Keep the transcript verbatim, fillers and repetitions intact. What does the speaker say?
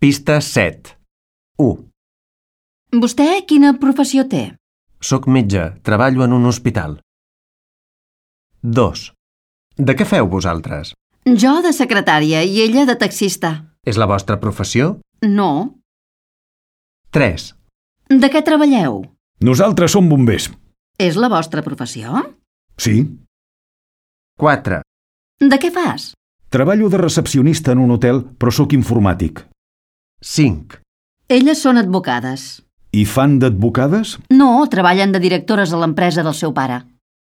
Pista set. u. Vostè quina professió té? Soc metge, treballo en un hospital. dos. De què feu vosaltres? Jo de secretària i ella de taxista. És la vostra professió? No. tres. De què treballeu? Nosaltres som bombers. És la vostra professió? Sí. quatre. De què fas? Treballo de recepcionista en un hotel, però sóc informàtic. cinc. Elles són advocades. I fan d'advocades? No, treballen de directores a l'empresa del seu pare.